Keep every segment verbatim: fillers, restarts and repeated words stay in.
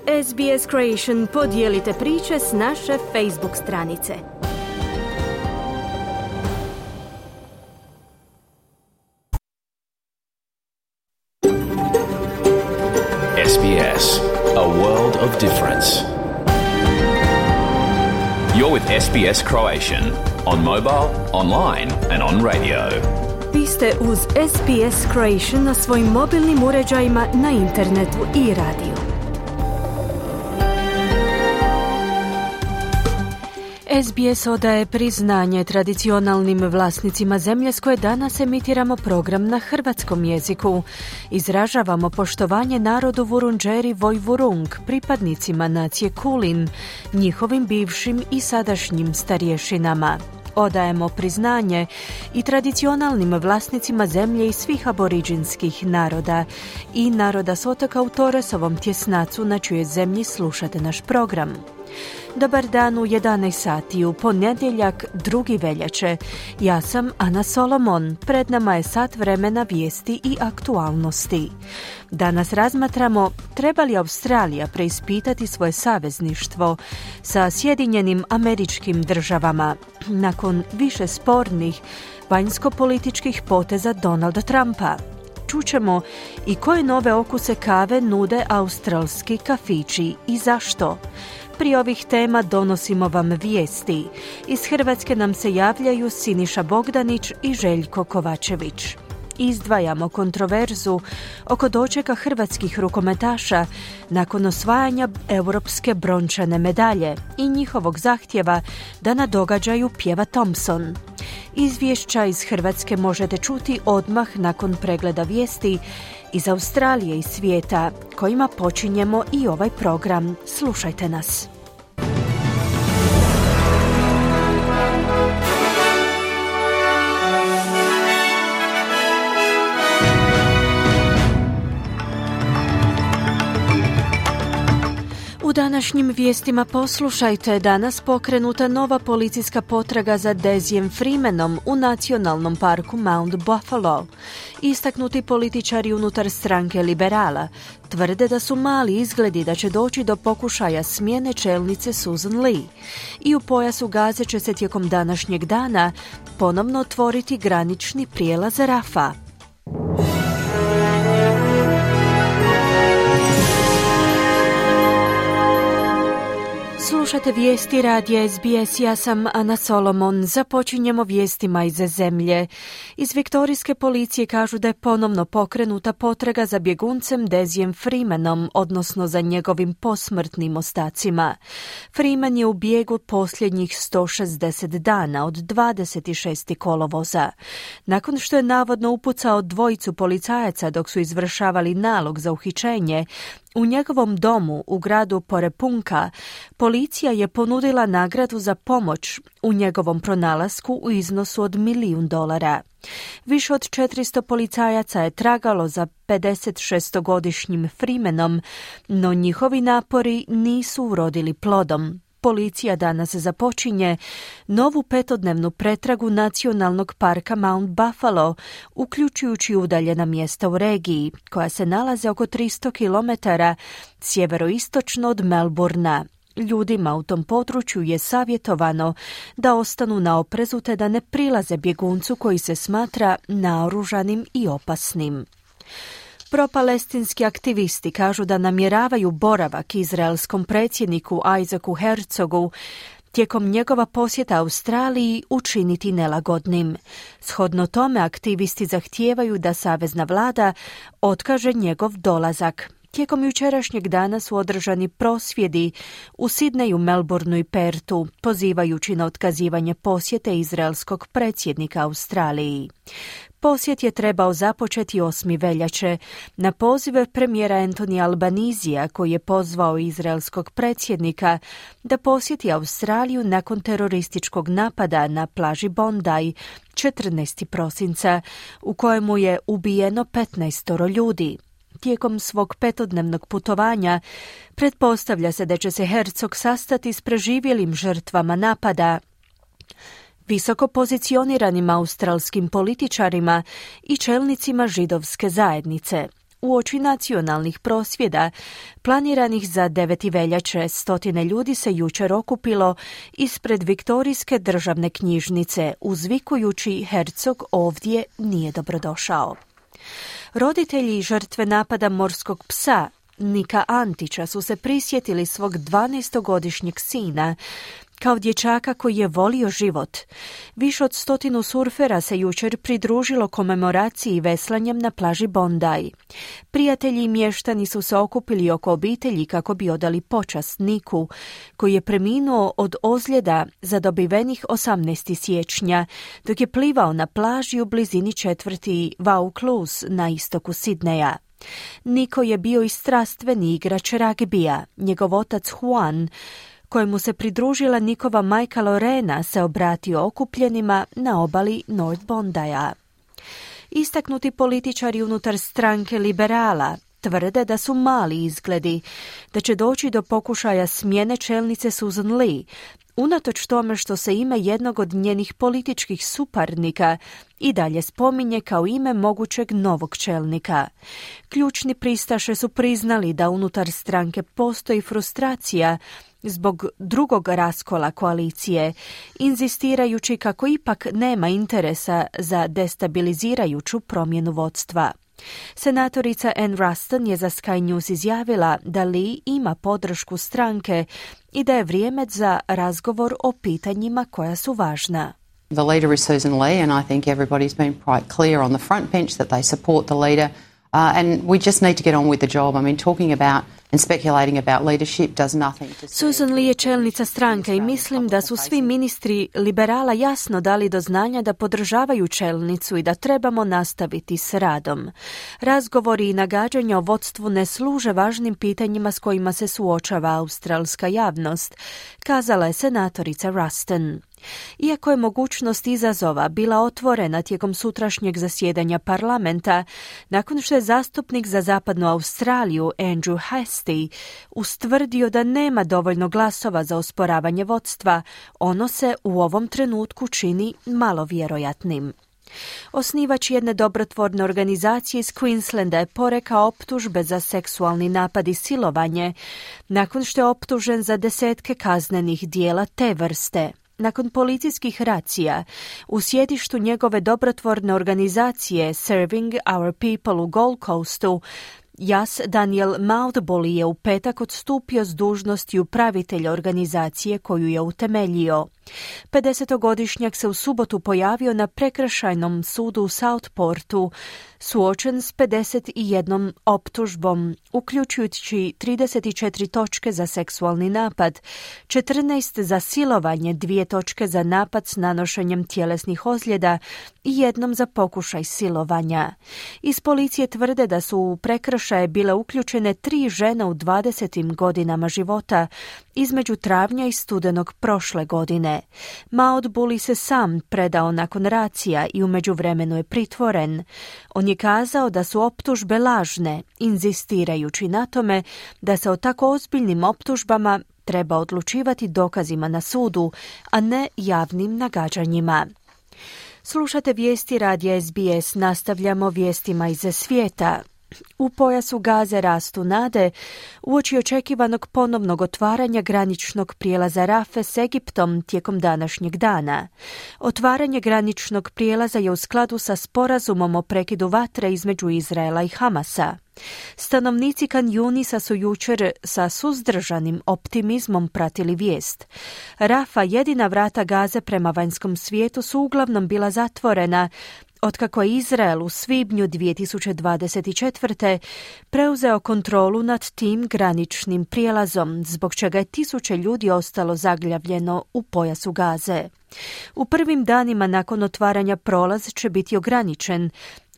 S B S Creation podijelite priče s naše Facebook stranice. S B S, a world of difference. You're with S B S Croatian on mobile, online and on radio. Vi ste uz S B S Croatian na svojim mobilnim uređajima, na internetu i radiju. S B S odaje priznanje tradicionalnim vlasnicima zemlje s koje danas emitiramo program na hrvatskom jeziku. Izražavamo poštovanje narodu Vurundjeri Vojvurung, pripadnicima nacije Kulin, njihovim bivšim i sadašnjim starješinama. Odajemo priznanje i tradicionalnim vlasnicima zemlje i svih aboriđinskih naroda i naroda s otoka u Torresovom tjesnacu na čijoj zemlji slušate naš program. Dobar dan u jedanaest sati u ponedjeljak drugi veljače. Ja sam Ana Solomon. Pred nama je sat vremena vijesti i aktualnosti. Danas razmatramo treba li Australija preispitati svoje savezništvo sa Sjedinjenim Američkim Državama nakon više spornih vanjsko-političkih poteza Donalda Trumpa. Čućemo i koje nove okuse kave nude australski kafići i zašto. Prije ovih tema donosimo vam vijesti. Iz Hrvatske nam se javljaju Siniša Bogdanić i Željko Kovačević. Izdvajamo kontroverzu oko dočeka hrvatskih rukometaša nakon osvajanja europske brončane medalje i njihovog zahtjeva da na događaju pjeva Thompson. Izvješća iz Hrvatske možete čuti odmah nakon pregleda vijesti iz Australije i svijeta, kojima počinjemo i ovaj program. Slušajte nas. U današnjim vijestima poslušajte, danas pokrenuta nova policijska potraga za Dezijem Freemanom u nacionalnom parku Mount Buffalo. Istaknuti političari unutar stranke liberala tvrde da su mali izgledi da će doći do pokušaja smjene čelnice Susan Lee. I u pojasu Gaze će se tijekom današnjeg dana ponovno otvoriti granični prijelaz Rafa. Slušate vijesti radija S B S, ja sam Ana Solomon. Započinjemo vijestima iz zemlje. Iz viktorijske policije kažu da je ponovno pokrenuta potraga za bjeguncem Dezijem Freemanom, odnosno za njegovim posmrtnim ostacima. Freeman je u bijegu posljednjih sto šezdeset dana od dvadeset šestog kolovoza. Nakon što je navodno upucao dvojicu policajaca dok su izvršavali nalog za uhićenje, u njegovom domu u gradu Porepunka policija je ponudila nagradu za pomoć u njegovom pronalasku u iznosu od milijun dolara. Više od četiristo policajaca je tragalo za pedesetšestogodišnjim Freemanom, no njihovi napori nisu urodili plodom. Policija danas započinje novu petodnevnu pretragu nacionalnog parka Mount Buffalo, uključujući udaljena mjesta u regiji, koja se nalaze oko tristo kilometara sjeveroistočno od Melbourna. Ljudima u tom području je savjetovano da ostanu na oprezu te da ne prilaze bjeguncu koji se smatra naoružanim i opasnim. Propalestinski aktivisti kažu da namjeravaju boravak izraelskom predsjedniku Isaacu Herzogu tijekom njegova posjeta Australiji učiniti nelagodnim. Shodno tome aktivisti zahtijevaju da savezna vlada otkaže njegov dolazak. Tijekom jučerašnjeg dana su održani prosvjedi u Sidneju, Melbourneu i Pertu, pozivajući na otkazivanje posjete izraelskog predsjednika Australiji. Posjet je trebao započeti osmog veljače na poziv premijera Anthony Albanizija, koji je pozvao izraelskog predsjednika da posjeti Australiju nakon terorističkog napada na plaži Bondi četrnaestog prosinca, u kojemu je ubijeno petnaestoro ljudi. Tijekom svog petodnevnog putovanja pretpostavlja se da će se Herzog sastati s preživjelim žrtvama napada, visoko pozicioniranim australskim političarima i čelnicima židovske zajednice. uoči nacionalnih prosvjeda planiranih za deveti veljače. Stotine ljudi se jučer okupilo ispred Viktorijske državne knjižnice, uzvikujući Herzog ovdje nije dobrodošao. Roditelji žrtve napada morskog psa Nika Antića su se prisjetili svog dvanaestogodišnjeg sina kao dječaka koji je volio život. Više od stotinu surfera se jučer pridružilo komemoraciji veslanjem na plaži Bondi. Prijatelji i mještani su se okupili oko obitelji kako bi odali počast Niku, koji je preminuo od ozljeda zadobivenih osamnaestog siječnja, dok je plivao na plaži u blizini četvrti Vaucluse na istoku Sidneja. Niko je bio i strastveni igrač ragbija. Njegov otac Juan, kojemu se pridružila Nikova majka Lorena, se obratio okupljenima na obali North Bondija. Istaknuti političari unutar stranke liberala tvrde da su mali izgledi, da će doći do pokušaja smjene čelnice Susan Lee, unatoč tome što se ime jednog od njenih političkih suparnika i dalje spominje kao ime mogućeg novog čelnika. Ključni pristaše su priznali da unutar stranke postoji frustracija zbog drugog raskola koalicije, inzistirajući kako ipak nema interesa za destabilizirajuću promjenu vodstva. Senatorica Ann Ruston je za Sky News izjavila da Lee ima podršku stranke i da je vrijeme za razgovor o pitanjima koja su važna. The leader is Susan Lee, and I think everybody's been quite clear on the front bench that they support the leader. Uh, and we just need to get on with the job. I mean, talking about and speculating about leadership does nothing to Susan Lee je čelnica stranke i mislim da su svi ministri liberala jasno dali do znanja da podržavaju čelnicu i da trebamo nastaviti s radom. Razgovori i nagađanja o vodstvu ne služe važnim pitanjima s kojima se suočava australska javnost, kazala je senatorica Ruston. Iako je mogućnost izazova bila otvorena tijekom sutrašnjeg zasjedanja parlamenta, nakon što je zastupnik za zapadnu Australiju Andrew Hastie ustvrdio da nema dovoljno glasova za osporavanje vodstva, ono se u ovom trenutku čini malo vjerojatnim. Osnivač jedne dobrotvorne organizacije iz Queenslanda je porekao optužbe za seksualni napad i silovanje, nakon što je optužen za desetke kaznenih dijela te vrste. Nakon policijskih racija u sjedištu njegove dobrotvorne organizacije Serving Our People u Gold Coastu, Jas Daniel Mouthbully je u petak odstupio s dužnosti upravitelja organizacije koju je utemeljio. pedesetogodišnjak se u subotu pojavio na prekršajnom sudu u Southportu, suočen s pedeset jednom optužbom, uključujući trideset četiri točke za seksualni napad, četrnaest za silovanje, dvije točke za napad s nanošenjem tjelesnih ozljeda i jednom za pokušaj silovanja. Iz policije tvrde da su u prekršaje bile uključene tri žene u dvadesetim godinama života između travnja i studenog prošle godine. Mouthbully se sam predao nakon racija i u međuvremenu je pritvoren. On je kazao da su optužbe lažne, inzistirajući na tome da se o tako ozbiljnim optužbama treba odlučivati dokazima na sudu, a ne javnim nagađanjima. Slušate vijesti radija S B S, nastavljamo vijestima iz svijeta. U pojasu Gaze rastu nade uoči očekivanog ponovnog otvaranja graničnog prijelaza Rafe s Egiptom tijekom današnjeg dana. Otvaranje graničnog prijelaza je u skladu sa sporazumom o prekidu vatre između Izraela i Hamasa. Stanovnici Kan Junisa su jučer sa suzdržanim optimizmom pratili vijest. Rafa, jedina vrata Gaze prema vanjskom svijetu, su uglavnom bila zatvorena otkako je Izrael u svibnju dvije tisuće dvadeset četvrte. preuzeo kontrolu nad tim graničnim prijelazom, zbog čega je tisuće ljudi ostalo zaglavljeno u pojasu Gaze. U prvim danima nakon otvaranja prolaz će biti ograničen,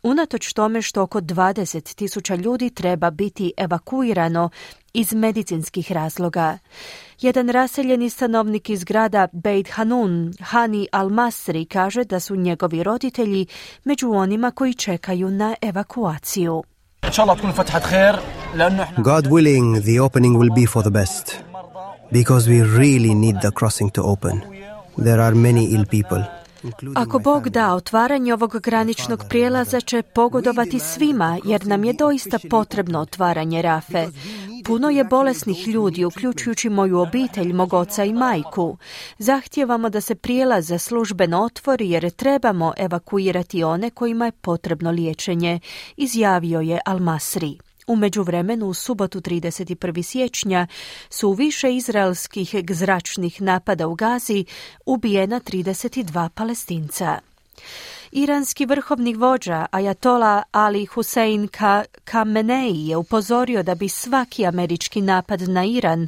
unatoč tome što oko dvadeset tisuća ljudi treba biti evakuirano iz medicinskih razloga. Jedan raseljeni stanovnik iz grada Beit Hanun, Hani Al-Masri, kaže da su njegovi roditelji među onima koji čekaju na evakuaciju. God willing, the opening will be for the best, because we really need the crossing to open. There are many ill people. Ako Bog da, otvaranje ovog graničnog prijelaza će pogodovati svima, jer nam je doista potrebno otvaranje Rafe. Puno je bolesnih ljudi, uključujući moju obitelj, mog oca i majku. Zahtijevamo da se prijelaz službeno otvori jer trebamo evakuirati one kojima je potrebno liječenje, izjavio je Al-Masri. U međuvremenu, u subotu trideset prvog siječnja su u više izraelskih zračnih napada u Gazi ubijena trideset dva Palestinca. Iranski vrhovni vođa Ajatola Ali Hussein Khamenei je upozorio da bi svaki američki napad na Iran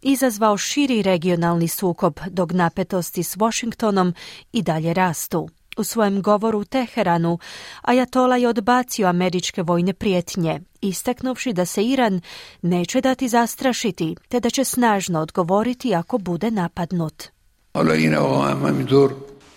izazvao širi regionalni sukob, dok napetosti s Washingtonom i dalje rastu. U svojem govoru u Teheranu Ajatola je odbacio američke vojne prijetnje, istaknuvši da se Iran neće dati zastrašiti, te da će snažno odgovoriti ako bude napadnut.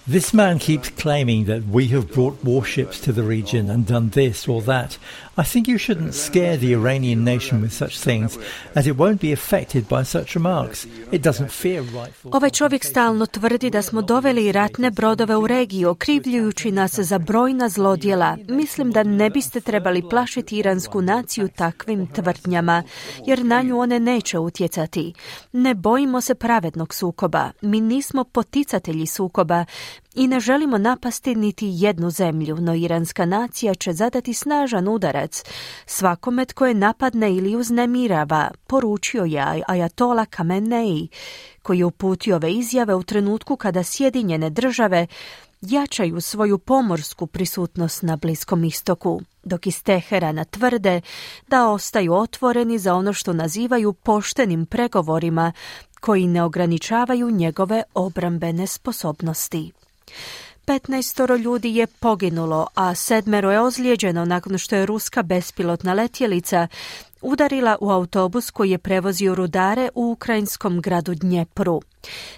This man keeps claiming that we have brought warships to the region and done this or that. I think you shouldn't scare the Iranian nation with such things, as it won't be affected by such remarks. It doesn't fear rightful... Ovaj čovjek stalno tvrdi da smo doveli ratne brodove u regiju, okrivljujući nas za brojna zlodjela. Mislim da ne biste trebali plašiti iransku naciju takvim tvrdnjama, jer na nju one neće utjecati. Ne bojimo se pravednog sukoba. Mi nismo poticatelji sukoba i ne želimo napasti niti jednu zemlju, no iranska nacija će zadati snažan udarac svakome tko je napadne ili uznemirava, poručio je Ajatola Khamenei, koji je uputio ove izjave u trenutku kada Sjedinjene države jačaju svoju pomorsku prisutnost na Bliskom istoku, dok iz Teherana tvrde da ostaju otvoreni za ono što nazivaju poštenim pregovorima koji ne ograničavaju njegove obrambene sposobnosti. petnaestoro ljudi je poginulo, a sedmero je ozlijeđeno nakon što je ruska bespilotna letjelica udarila u autobus koji je prevozio rudare u ukrajinskom gradu Dnjepru.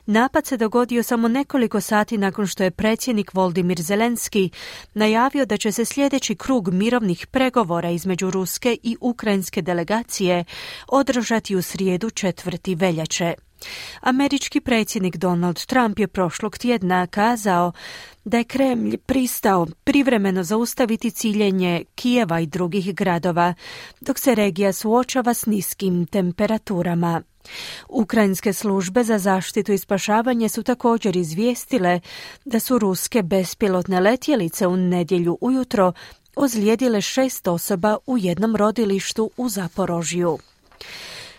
Napad se dogodio samo nekoliko sati nakon što je predsjednik Volodymyr Zelenski najavio da će se sljedeći krug mirovnih pregovora između ruske i ukrajinske delegacije održati u srijedu četvrtog veljače. Američki predsjednik Donald Trump je prošlog tjedna kazao da je Kremlj pristao privremeno zaustaviti ciljenje Kijeva i drugih gradova, dok se regija suočava s niskim temperaturama. Ukrajinske službe za zaštitu i spašavanje su također izvijestile da su ruske bespilotne letjelice u nedjelju ujutro ozlijedile šest osoba u jednom rodilištu u Zaporožju.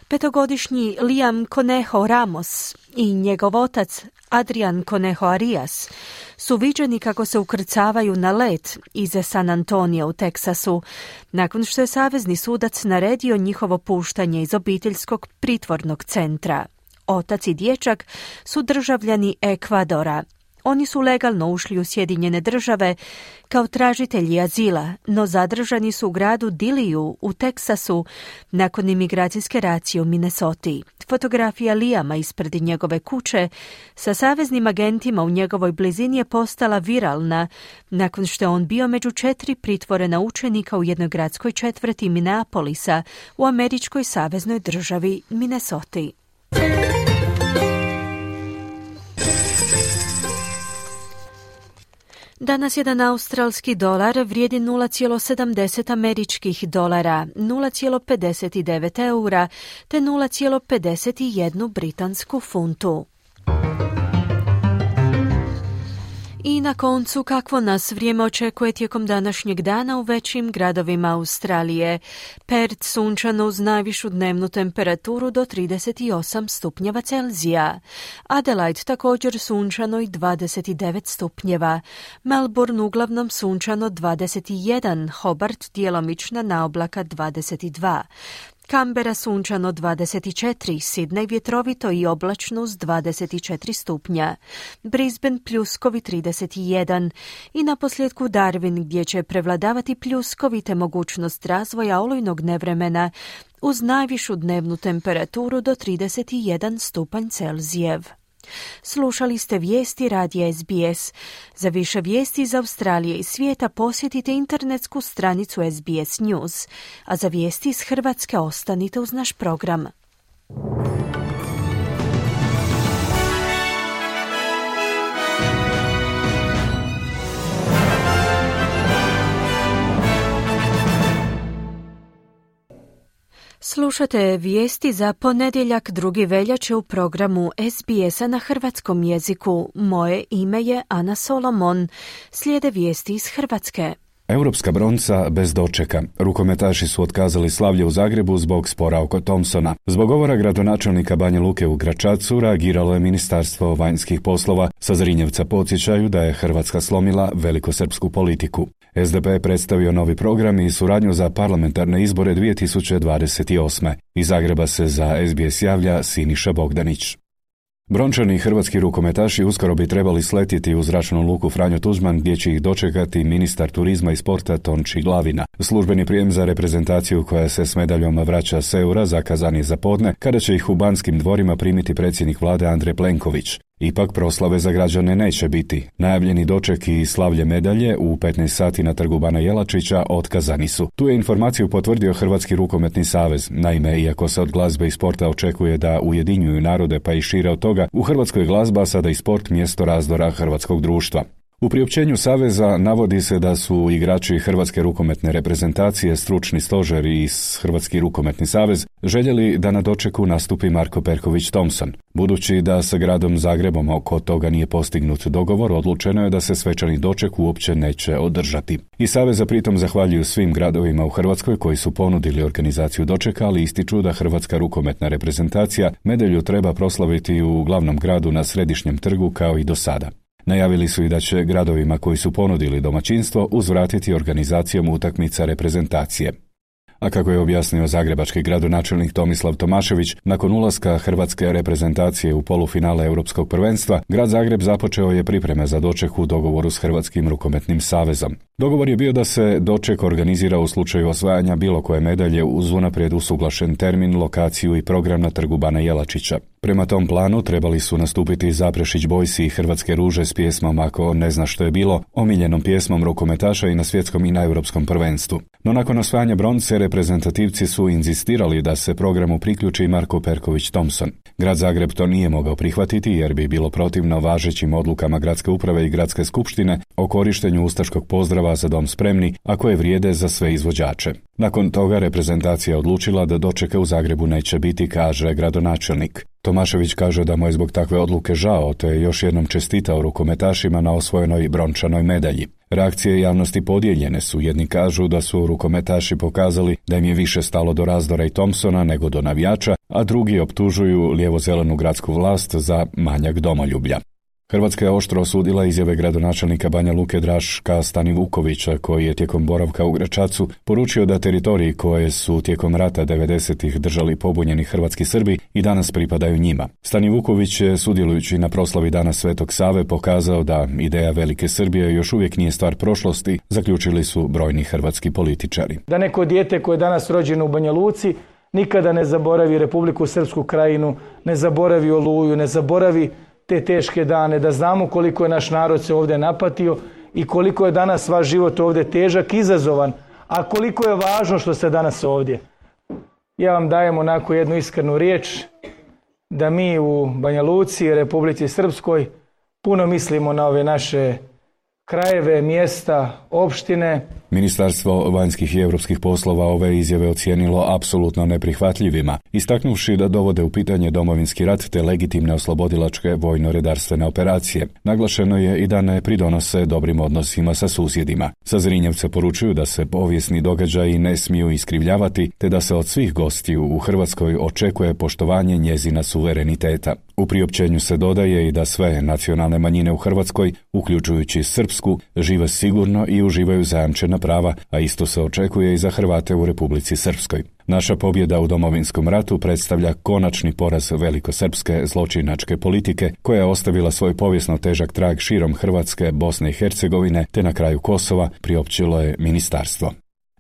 Petogodišnji Liam Conejo Ramos i njegov otac Adrian Conejo Arias su viđeni kako se ukrcavaju na let iz San Antonija u Teksasu, nakon što je savezni sudac naredio njihovo puštanje iz obiteljskog pritvornog centra. Otac i dječak su državljani Ekvadora. Oni su legalno ušli u Sjedinjene države kao tražitelji azila, no zadržani su u gradu Diliju u Teksasu nakon imigracijske racije u Minnesoti. Fotografija Liama ispred njegove kuće sa saveznim agentima u njegovoj blizini je postala viralna nakon što je on bio među četiri pritvorena učenika u jednoj gradskoj četvrti Minneapolisa u američkoj saveznoj državi Minnesoti. Danas jedan australski dolar vrijedi nula zarez sedamdeset američkih dolara, nula zarez pedeset devet eura te nula zarez pedeset jedan britansku funtu. I na koncu, kakvo nas vrijeme očekuje tijekom današnjeg dana u većim gradovima Australije. Perth sunčano uz najvišu dnevnu temperaturu do trideset osam stupnjeva Celzija. Adelaide također sunčano i dvadeset devet stupnjeva. Melbourne uglavnom sunčano dvadeset jedan, Hobart djelomična naoblaka dvadeset dva. Canberra sunčano dvadeset četiri, Sydney vjetrovito i oblačno uz dvadeset četiri stupnja, Brisbane pljuskovi trideset jedan i naposljetku Darwin gdje će prevladavati pljuskovi te mogućnost razvoja olujnog nevremena uz najvišu dnevnu temperaturu do trideset jedan stupanj Celzijev. Slušali ste vijesti radija S B S. Za više vijesti iz Australije i svijeta posjetite internetsku stranicu S B S News, a za vijesti iz Hrvatske ostanite uz naš program. Slušate vijesti za ponedjeljak drugi veljače u programu S B S-a na hrvatskom jeziku. Moje ime je Ana Solomon. Slijede vijesti iz Hrvatske. Europska bronca bez dočeka. Rukometaši su otkazali slavlje u Zagrebu zbog spora oko Thompsona. Zbog govora gradonačelnika Banja Luke u Gračacu reagiralo je Ministarstvo vanjskih poslova. Sa Zrinjevca podsjećaju da je Hrvatska slomila velikosrpsku politiku. S D P je predstavio novi program i suradnju za parlamentarne izbore dvije tisuće dvadeset osme. Iz Zagreba se za S B S javlja Siniša Bogdanić. Brončani i hrvatski rukometaši uskoro bi trebali sletjeti u zračnu luku Franjo Tuđman gdje će ih dočekati ministar turizma i sporta Tonči Glavina. Službeni prijem za reprezentaciju koja se s medaljom vraća s Eura zakazan je za podne kada će ih u Banskim dvorima primiti predsjednik vlade Andrej Plenković. Ipak proslave za građane neće biti. Najavljeni doček i slavlje medalje u petnaest sati na trgu Bana Jelačića otkazani su. Tu je informaciju potvrdio Hrvatski rukometni savez. Naime, iako se od glazbe i sporta očekuje da ujedinjuju narode pa i šire od toga, u Hrvatskoj glazba sada i sport mjesto razdora hrvatskog društva. U priopćenju Saveza navodi se da su igrači Hrvatske rukometne reprezentacije, stručni stožer i Hrvatski rukometni savez željeli da na dočeku nastupi Marko Perković Thompson. Budući da sa gradom Zagrebom oko toga nije postignut dogovor, odlučeno je da se svečani doček uopće neće održati. I Saveza pritom zahvaljuju svim gradovima u Hrvatskoj koji su ponudili organizaciju dočeka, ali ističu da Hrvatska rukometna reprezentacija medalju treba proslaviti u glavnom gradu na Središnjem trgu kao i do sada. Najavili su i da će gradovima koji su ponudili domaćinstvo uzvratiti organizacijom utakmica reprezentacije. A kako je objasnio zagrebački gradonačelnik Tomislav Tomašević, nakon ulaska hrvatske reprezentacije u polufinale Europskog prvenstva, grad Zagreb započeo je pripreme za doček u dogovoru s Hrvatskim rukometnim savezom. Dogovor je bio da se doček organizira u slučaju osvajanja bilo koje medalje uz unaprijed usuglašen termin, lokaciju i program na trgu Bana Jelačića. Prema tom planu trebali su nastupiti Zaprešić Bojsi i Hrvatske ruže s pjesmom Ako ne zna što je bilo, omiljenom pjesmom rukometaša i na svjetskom i na europskom prvenstvu. No nakon osvajanja bronce, reprezentativci su inzistirali da se programu priključi Marko Perković Thompson. Grad Zagreb to nije mogao prihvatiti jer bi bilo protivno važećim odlukama gradske uprave i gradske skupštine o korištenju ustaškog pozdrava Za dom spremni, a koje vrijede za sve izvođače. Nakon toga reprezentacija odlučila da dočeka u Zagrebu neće biti, kaže gradonačelnik. Tomašević kaže da mu je zbog takve odluke žao, te je još jednom čestitao rukometašima na osvojenoj brončanoj medalji. Reakcije javnosti podijeljene su. Jedni kažu da su rukometaši pokazali da im je više stalo do razdora i Thompsona nego do navijača, a drugi optužuju lijevo-zelenu gradsku vlast za manjak domoljublja. Hrvatska je oštro osudila izjave gradonačelnika Banja Luke Draška Stanivukovića, koji je tijekom boravka u Gračacu poručio da teritoriji koje su tijekom rata devedesetih držali pobunjeni hrvatski Srbi i danas pripadaju njima. Stanivuković je, sudjelujući na proslavi Dana Svetog Save, pokazao da ideja Velike Srbije još uvijek nije stvar prošlosti, zaključili su brojni hrvatski političari. Da neko dijete koje je danas rođeno u Banja Luci nikada ne zaboravi Republiku Srpsku krajinu, ne zaboravi Oluju, ne zaboravi te teške dane, da znamo koliko je naš narod se ovdje napatio i koliko je danas vaš život ovdje težak, izazovan, a koliko je važno što ste danas ovdje. Ja vam dajem onako jednu iskrenu riječ da mi u Banja Luci i Republici Srpskoj puno mislimo na ove naše krajeve, mjesta, opštine. Ministarstvo vanjskih i europskih poslova ove izjave ocijenilo apsolutno neprihvatljivima, istaknuvši da dovode u pitanje Domovinski rat te legitimne oslobodilačke vojno-redarstvene operacije. Naglašeno je i da ne pridonose dobrim odnosima sa susjedima. Sa Zrinjevca poručuju da se povijesni događaji ne smiju iskrivljavati, te da se od svih gostiju u Hrvatskoj očekuje poštovanje njezina suvereniteta. U priopćenju se dodaje i da sve nacionalne manjine u Hrvatskoj, uključujući srpsku, žive sigurno i uživaju zajamčena prava, a isto se očekuje i za Hrvate u Republici Srpskoj. Naša pobjeda u Domovinskom ratu predstavlja konačni poraz velikosrpske zločinačke politike koja je ostavila svoj povijesno težak trag širom Hrvatske, Bosne i Hercegovine te na kraju Kosova, priopćilo je ministarstvo.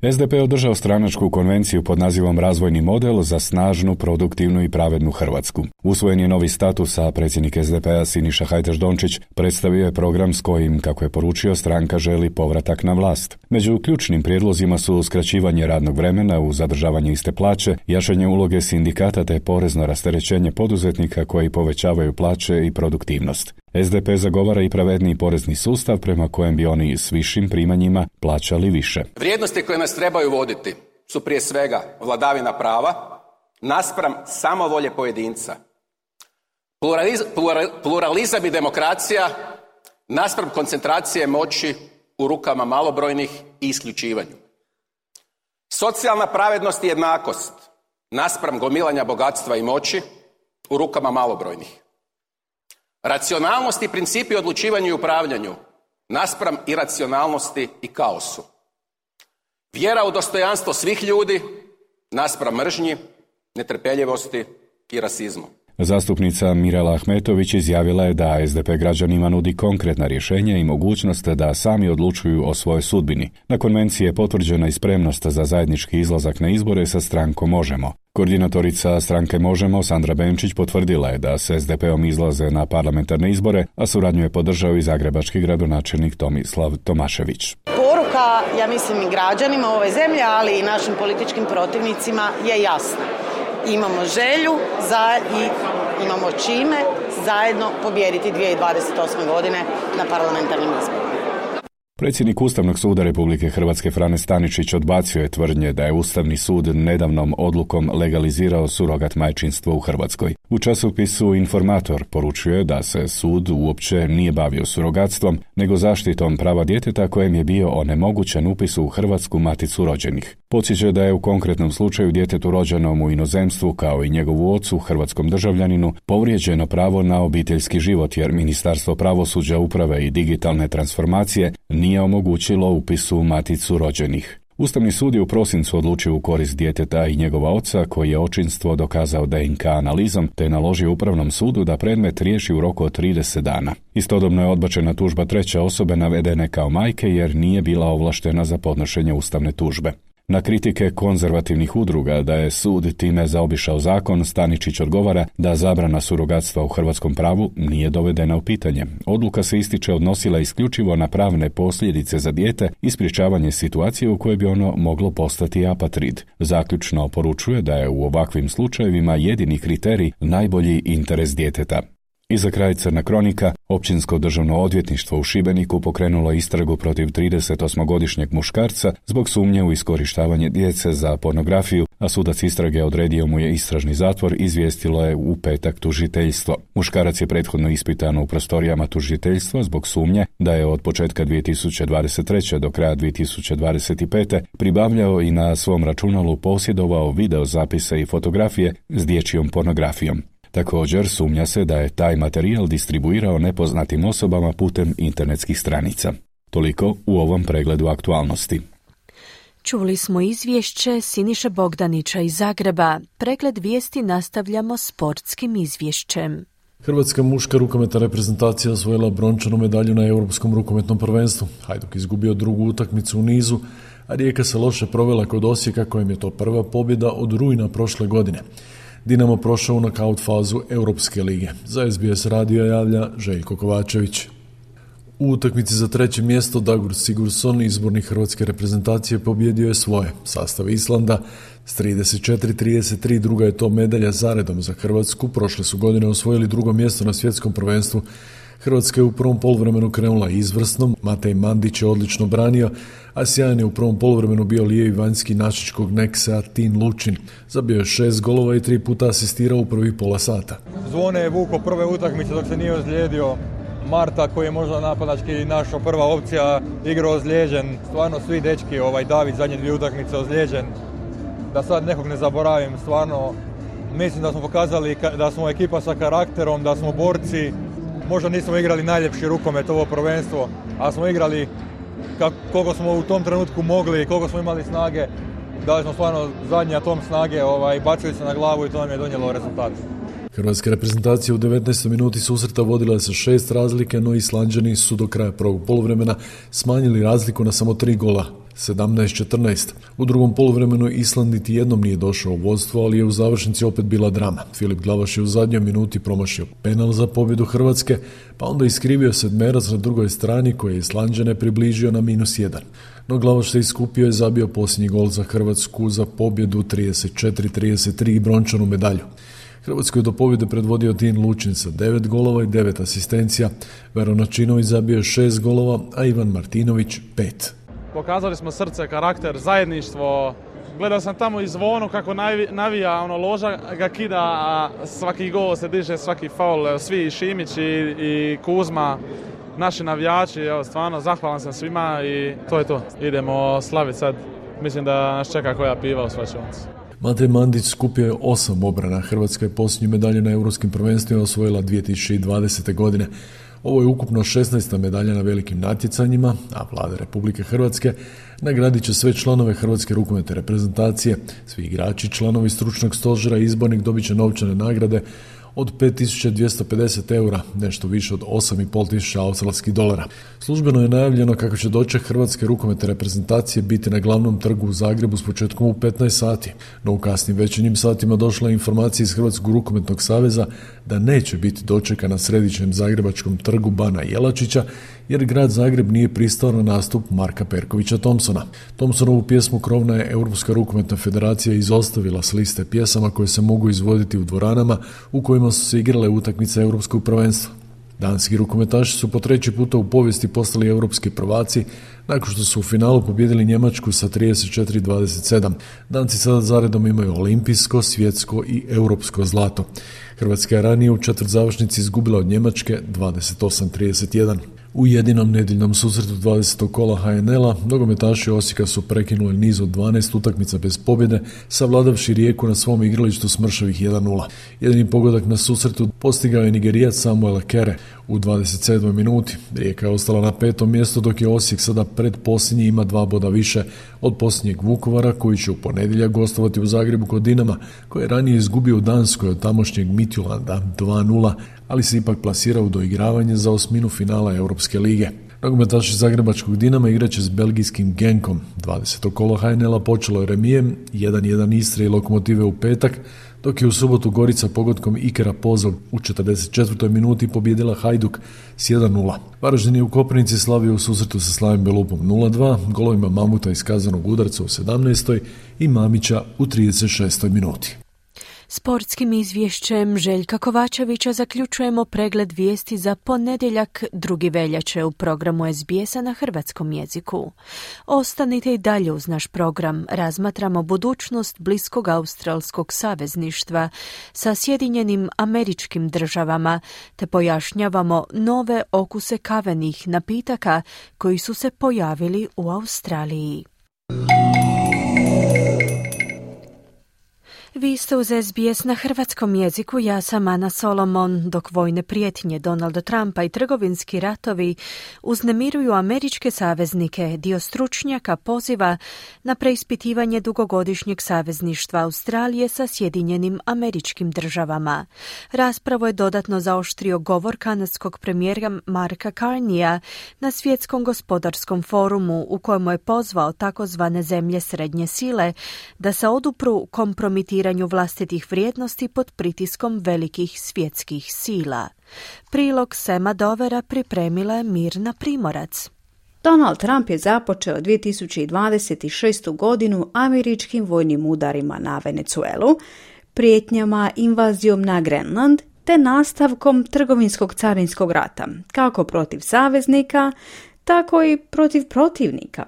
S D P je održao stranačku konvenciju pod nazivom Razvojni model za snažnu, produktivnu i pravednu Hrvatsku. Usvojen je novi status, a predsjednik S D P-a Siniša Hajdaš Dončić predstavio je program s kojim, kako je poručio, stranka želi povratak na vlast. Među ključnim prijedlozima su skraćivanje radnog vremena uz zadržavanje iste plaće, jačanje uloge sindikata te porezno rasterećenje poduzetnika koji povećavaju plaće i produktivnost. S D P zagovara i pravedniji porezni sustav prema kojem bi oni s višim primanjima plaćali više. Vrijednosti koje nas trebaju voditi su prije svega vladavina prava, naspram samovolje pojedinca. Pluraliz, plural, pluralizam i demokracija naspram koncentracije moći u rukama malobrojnih i isključivanju. Socijalna pravednost i jednakost naspram gomilanja bogatstva i moći u rukama malobrojnih. Racionalnost i principi odlučivanju i upravljanju naspram iracionalnosti i kaosu. Vjera u dostojanstvo svih ljudi naspram mržnji, netrpeljivosti i rasizmu. Zastupnica Mirela Ahmetović izjavila je da es de pe građanima nudi konkretna rješenja i mogućnost da sami odlučuju o svojoj sudbini. Na konvenciji je potvrđena i spremnost za zajednički izlazak na izbore sa strankom Možemo. Koordinatorica stranke Možemo, Sandra Benčić, potvrdila je da s es de peom izlaze na parlamentarne izbore, a suradnju je podržao i zagrebački gradonačelnik Tomislav Tomašević. Poruka, ja mislim, i građanima ove zemlje, ali i našim političkim protivnicima je jasna. Imamo želju za i imamo čime zajedno pobijediti dvije tisuće dvadeset osme. godine na parlamentarnim izborima. Predsjednik Ustavnog suda Republike Hrvatske Frane Staničić odbacio je tvrdnje da je Ustavni sud nedavnom odlukom legalizirao surogat majčinstvo u Hrvatskoj. U časopisu Informator poručuje da se sud uopće nije bavio surogatstvom, nego zaštitom prava djeteta kojem je bio onemogućen upis u Hrvatsku maticu rođenih. Podsjeća da je u konkretnom slučaju djetetu rođenom u inozemstvu, kao i njegovu ocu, hrvatskom državljaninu, povrijeđeno pravo na obiteljski život jer Ministarstvo pravosuđa, uprave i digitalne transformacije nije omogućilo upis u maticu rođenih. Ustavni sud je u prosincu odlučio u korist djeteta i njegova oca, koji je očinstvo dokazao de en ka analizom, te naložio Upravnom sudu da predmet riješi u roku od trideset dana. Istodobno je odbačena tužba treće osobe navedene kao majke jer nije bila ovlaštena za podnošenje ustavne tužbe. Na kritike konzervativnih udruga da je sud time zaobišao zakon, Staničić odgovara da zabrana surogatstva u hrvatskom pravu nije dovedena u pitanje. Odluka se ističe odnosila isključivo na pravne posljedice za dijete i sprječavanje situacije u kojoj bi ono moglo postati apatrid. Zaključno poručuje da je u ovakvim slučajevima jedini kriterij najbolji interes djeteta. I za kraj crna kronika, Općinsko državno odvjetništvo u Šibeniku pokrenulo istragu protiv tridesetosmogodišnjeg muškarca zbog sumnje u iskorištavanje djece za pornografiju, a sudac istrage odredio mu je istražni zatvor, izvijestilo je u petak tužiteljstvo. Muškarac je prethodno ispitan u prostorijama tužiteljstva zbog sumnje da je od početka dvije tisuće dvadeset treće do kraja dvije tisuće dvadeset pete pribavljao i na svom računalu posjedovao video zapise i fotografije s dječjom pornografijom. Također sumnja se da je taj materijal distribuirao nepoznatim osobama putem internetskih stranica. Toliko u ovom pregledu aktualnosti. Čuli smo izvješće Siniše Bogdanića iz Zagreba. Pregled vijesti nastavljamo sportskim izvješćem. Hrvatska muška rukometna reprezentacija osvojila brončanu medalju na Europskom rukometnom prvenstvu. Hajduk izgubio drugu utakmicu u nizu, a Rijeka se loše provela kod Osijeka, kojem je to prva pobjeda od rujna prošle godine. Dinamo prošao u nokaut fazu Europske lige. Za es be es radio javlja Željko Kovačević. U utakmici za treće mjesto Dagur Sigurdsson, izbornik hrvatske reprezentacije, pobjedio je svoje. Sastav Islanda s trideset četiri trideset tri, druga je to medalja zaredom za Hrvatsku. Prošle su godine osvojili drugo mjesto na svjetskom prvenstvu. Hrvatska je u prvom poluvremenu krenula izvrsno, Matej Mandić je odlično branio, a sjajan je u prvom poluvremenu bio lijevi vanjski našičkog Nexa Tin Lučin. Zabio je šest golova i tri puta asistirao u prvih pola sata. Zvone je vuko prve utakmice dok se nije ozlijedio. Marta, koji je možda napadački naša prva opcija, igrao ozlijeđen. Stvarno svi dečki, ovaj David zadnje dvije utakmice ozlijeđen. Da sad nekog ne zaboravim, stvarno mislim da smo pokazali da smo ekipa sa karakterom, da smo borci. Možda nismo igrali najljepši rukomet ovo prvenstvo, a smo igrali koliko smo u tom trenutku mogli, koliko smo imali snage. Dali smo stvarno zadnji atom snage, ovaj, bacili se na glavu i to nam je donijelo rezultat. Hrvatska reprezentacija u devetnaestoj minuti susreta vodila sa šest razlike, no Islanđani su do kraja prvog poluvremena smanjili razliku na samo tri gola, sedamnaest četrnaest. U drugom poluvremenu Island niti jednom nije došao u vodstvo, ali je u završnici opet bila drama. Filip Glavaš je u zadnjoj minuti promašio penal za pobjedu Hrvatske, pa onda iskrivio sedmerac na drugoj strani koji je Islanđane približio na minus jedan. No Glavaš se iskupio i zabio posljednji gol za Hrvatsku za pobjedu trideset četiri trideset tri i brončanu medalju. Hrvatsku je do pobjede predvodio Tin Lučin sa devet golova i devet asistencija, Vero Načinović zabio šest golova, a Ivan Martinović pet. Pokazali smo srce, karakter, zajedništvo, Gledao sam tamo i Zvonu kako navija, ono, loža ga kida, a svaki gol se diže, svaki faul, svi, Šimić i, i Kuzma, naši navijači, evo, stvarno, zahvalan sam svima i to je to. Idemo slaviti sad, mislim da nas čeka koja piva u svlačionici. Matej Mandić skupio je osam obrana. Hrvatska je posljednju medalju na europskim prvenstvima osvojila dvije tisuće dvadesete. godine. Ovo je ukupno šesnaesta medalja na velikim natjecanjima, a Vlada Republike Hrvatske nagradit će sve članove Hrvatske rukometne reprezentacije. Svi igrači, članovi stručnog stožera i izbornik dobit će novčane nagrade od pet tisuća dvjesto pedeset eura, nešto više od osam i pol tisuća australskih dolara. Službeno je najavljeno kako će doček Hrvatske rukometne reprezentacije biti na glavnom trgu u Zagrebu s početkom u petnaest sati. No u kasnim večernjim satima došla je informacija iz Hrvatskog rukometnog saveza da neće biti dočeka na središnjem zagrebačkom trgu Bana Jelačića, jer grad Zagreb nije pristao na nastup Marka Perkovića Thompsona. Thompsonovu pjesmu krovna je Europska rukometna federacija izostavila s liste pjesama koje se mogu izvoditi u dvoranama u kojima su se igrale utakmice europskog prvenstva. Danski rukometaši su po treći puta u povijesti postali europski prvaci nakon što su u finalu pobijedili Njemačku sa trideset četiri dvadeset sedam. Danci sada zaredom imaju olimpijsko, svjetsko i europsko zlato. Hrvatska je ranije u četvrtzavršnici izgubila od Njemačke dvadeset osam trideset jedan. U jedinom nedjeljnom susretu dvadesetog kola ha en el-a nogometaši Osijeka su prekinuli niz od dvanaest utakmica bez pobjede, savladavši Rijeku na svom igralištu s mršavih jedan nula. Jedini pogodak na susretu postigao je Nigerijac Samuel Kere u dvadeset sedmoj minuti. Rijeka je ostala na petom mjestu, dok je Osijek sada pred posljednji, ima dva boda više od posljednjeg Vukovara, koji će u ponedjeljak gostovati u Zagrebu kod Dinama, koji je ranije izgubio u Danskoj od tamošnjeg Midtjylanda dva nula, ali se ipak plasirao u doigravanje za osminu finala Europske lige. Nogometaši zagrebačkog Dinama igraće s belgijskim Genkom. dvadeseto kolo ha en el-a počelo je remijem, jedan jedan Istre i Lokomotive u petak, dok je u subotu Gorica pogodkom Ikera Pozov u četrdeset četvrtoj minuti pobjedila Hajduk s jedan nula. Varaždin je u Koprivnici slavio u susretu sa Slavim Belupom nula dva, golovima Mamuta iz kazanog udarca u sedamnaestoj i Mamića u trideset šestoj minuti. Sportskim izvješćem Željka Kovačevića zaključujemo pregled vijesti za ponedjeljak drugi veljače u programu es be es-a na hrvatskom jeziku. Ostanite i dalje uz naš program. Razmatramo budućnost bliskog australskog savezništva sa Sjedinjenim Američkim Državama, te pojašnjavamo nove okuse kavenih napitaka koji su se pojavili u Australiji. Vi ste uz es be es na hrvatskom jeziku, ja sam Ana Solomon. Dok vojne prijetnje Donalda Trumpa i trgovinski ratovi uznemiruju američke saveznike, dio stručnjaka poziva na preispitivanje dugogodišnjeg savezništva Australije sa Sjedinjenim Američkim Državama. Raspravu je dodatno zaoštrio govor kanadskog premijera Marka Carneya na Svjetskom gospodarskom forumu, u kojemu je pozvao takozvane zemlje srednje sile da se odupru kompromitiranju vlastitih vrijednosti pod pritiskom velikih svjetskih sila. Prilog Sema Dovera pripremila je Mirna Primorac. Donald Trump je započeo dvije tisuće dvadeset šestu. godinu američkim vojnim udarima na Venezuelu, prijetnjama invazijom na Grenland te nastavkom trgovinskog carinskog rata, kako protiv saveznika, tako i protiv protivnika.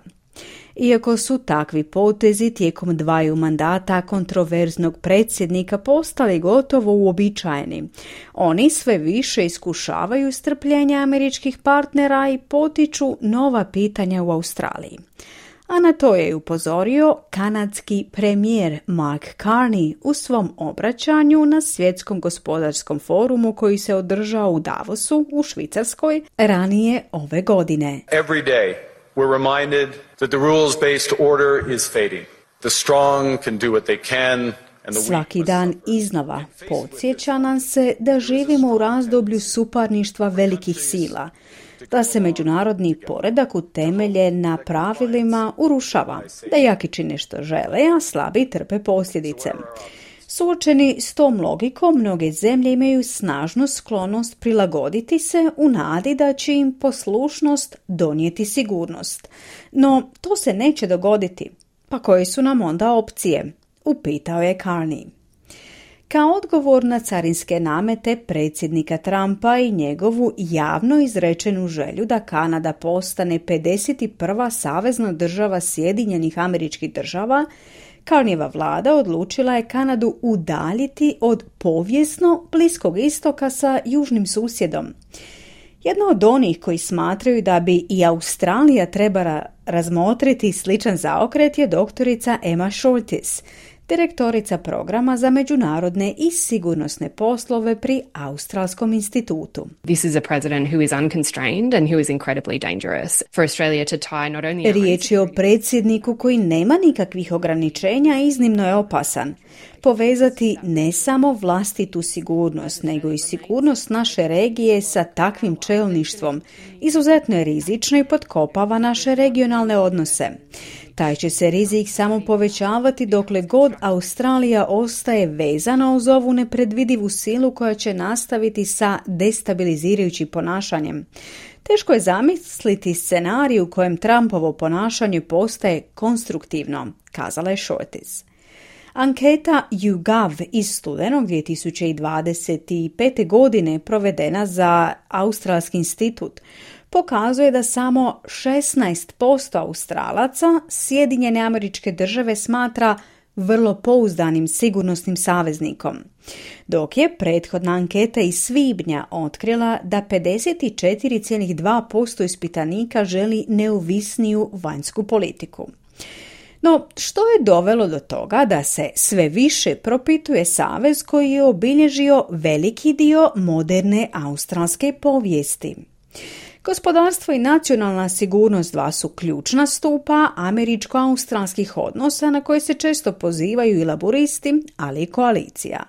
Iako su takvi potezi tijekom dvaju mandata kontroverznog predsjednika postali gotovo uobičajeni, oni sve više iskušavaju strpljenje američkih partnera i potiču nova pitanja u Australiji. A na to je upozorio kanadski premijer Mark Carney u svom obraćanju na Svjetskom gospodarskom forumu koji se održao u Davosu u Švicarskoj ranije ove godine. Every day we're reminded that the rules-based order is fading. The strong can do what they can. Svaki dan iznova podsjeća nam se da živimo u razdoblju suparništva velikih sila, da se međunarodni poredak utemelje na pravilima urušava, da jaki čine što žele, a slabi trpe posljedice. Suočeni s tom logikom, mnoge zemlje imaju snažnu sklonost prilagoditi se u nadi da će im poslušnost donijeti sigurnost. No, to se neće dogoditi. Pa koje su nam onda opcije? Upitao je Carney. Kao odgovor na carinske namete predsjednika Trumpa i njegovu javno izrečenu želju da Kanada postane pedeset prva savezna država Sjedinjenih Američkih Država, Carneyeva vlada odlučila je Kanadu udaljiti od povijesno Bliskog istoka sa južnim susjedom. Jedna od onih koji smatraju da bi i Australija trebala razmotriti sličan zaokret je doktorica Emma Shortis, direktorica programa za međunarodne i sigurnosne poslove pri Australskom institutu. This is a president who is unconstrained and who is incredibly dangerous for Australia to tie not only... Riječ je o predsjedniku koji nema nikakvih ograničenja, iznimno je opasan. Povezati ne samo vlastitu sigurnost, nego i sigurnost naše regije sa takvim čelništvom izuzetno je rizično i potkopava naše regionalne odnose. Taj će se rizik samo povećavati dokle god Australija ostaje vezana uz ovu nepredvidivu silu koja će nastaviti sa destabilizirajućim ponašanjem. Teško je zamisliti scenarij u kojem Trumpovo ponašanje postaje konstruktivno, kazala je Shortis. Anketa YouGov iz studenog dvije tisuće dvadeset pete. godine provedena za Australski institut pokazuje da samo šesnaest posto Australaca Sjedinjene Američke Države smatra vrlo pouzdanim sigurnosnim saveznikom, dok je prethodna anketa iz svibnja otkrila da pedeset četiri zarez dva posto ispitanika želi neovisniju vanjsku politiku. No, što je dovelo do toga da se sve više propituje savez koji je obilježio veliki dio moderne australske povijesti? Gospodarstvo i nacionalna sigurnost dva su ključna stupa američko-australskih odnosa na koje se često pozivaju i laburisti, ali i koalicija.